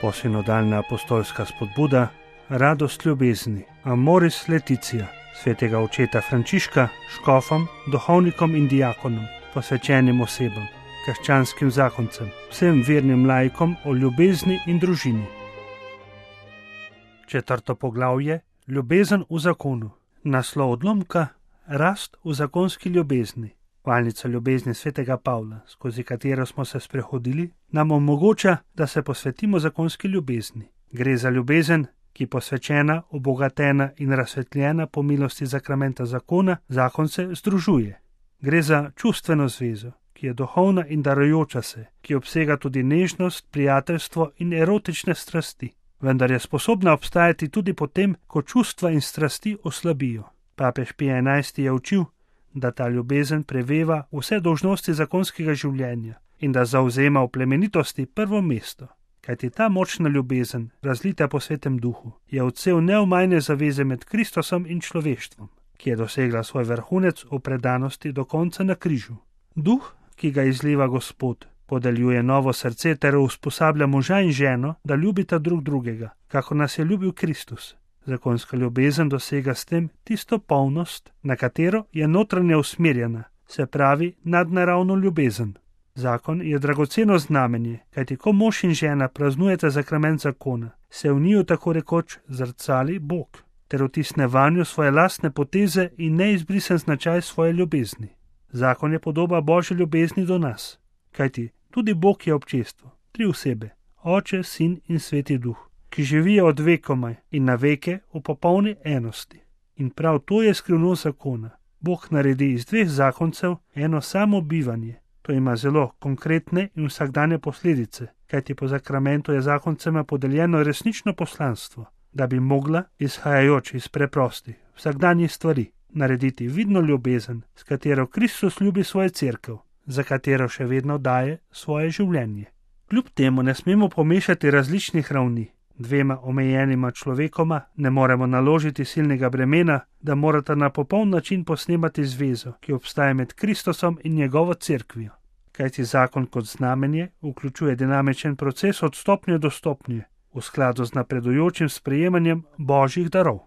Posinodalna apostolska spodbuda, radost ljubezni, Amoris Laetitia, svetega očeta Frančiška, škofom, duhovnikom in diakonom, posvečenim osebam, krščanskim zakoncem, vsem vernim laikom o ljubezni in družini. 4. poglavje, ljubezen v zakonu. Naslov odlomka, rast v zakonski ljubezni. Valnica ljubezni svetega Pavla, skozi katero smo se sprehodili, nam omogoča, da se posvetimo zakonski ljubezni. Gre za ljubezen, ki posvečena, obogatena in razsvetljena po milosti zakramenta zakona, zakonce združuje. Gre za čustveno zvezo, ki je duhovna in darujoča se, ki obsega tudi nežnost, prijateljstvo in erotične strasti, vendar je sposobna obstajati tudi potem, ko čustva in strasti oslabijo. Papež Pij XI je učil, da ta ljubezen preveva vse dolžnosti zakonskega življenja in da zavzema v plemenitosti prvo mesto. Kajti ta močna ljubezen, razlita po svetem duhu, je odsev neomajne zaveze med Kristusom in človeštvom, ki je dosegla svoj vrhunec v predanosti do konca na križu. Duh, ki ga izliva Gospod, podeljuje novo srce ter usposablja moža in ženo, da ljubita drug drugega, kako nas je ljubil Kristus. Zakonska ljubezen dosega s tem tisto polnost, na katero je notranje usmerjena, se pravi nadnaravno ljubezen. Zakon je dragoceno znamenje, kajti ko mož in žena praznujeta zakrament zakona, se v njiju tako rekoč zrcali Bog, ter vtisne vanjo svoje lastne poteze in neizbrisen značaj svoje ljubezni. Zakon je podoba Božje ljubezni do nas, kajti tudi Bog je občestvo, 3 osebe, Oče, Sin in Sveti Duh, ki živijo od vekomaj in na veke v popolni enosti. In prav to je skrivnost zakona. Bog naredi iz 2 zakoncev eno samo bivanje. To ima zelo konkretne in vsakdanje posledice, kajti po zakramentu je zakoncema podeljeno resnično poslanstvo, da bi mogla, izhajajoč iz preprostih vsakdanjih stvari, narediti vidno ljubezen, s katero Kristus ljubi svojo cerkev, za katero še vedno daje svoje življenje. Kljub temu ne smemo pomešati različnih ravni. 2 omejenima človekoma ne moremo naložiti silnega bremena, da morata na popoln način posnemati zvezo, ki obstaja med Kristusom in njegovo cerkvijo. Kajti zakon kot znamenje vključuje dinamičen proces od stopnje do stopnje, v skladu z napredujočim sprejemanjem Božjih darov.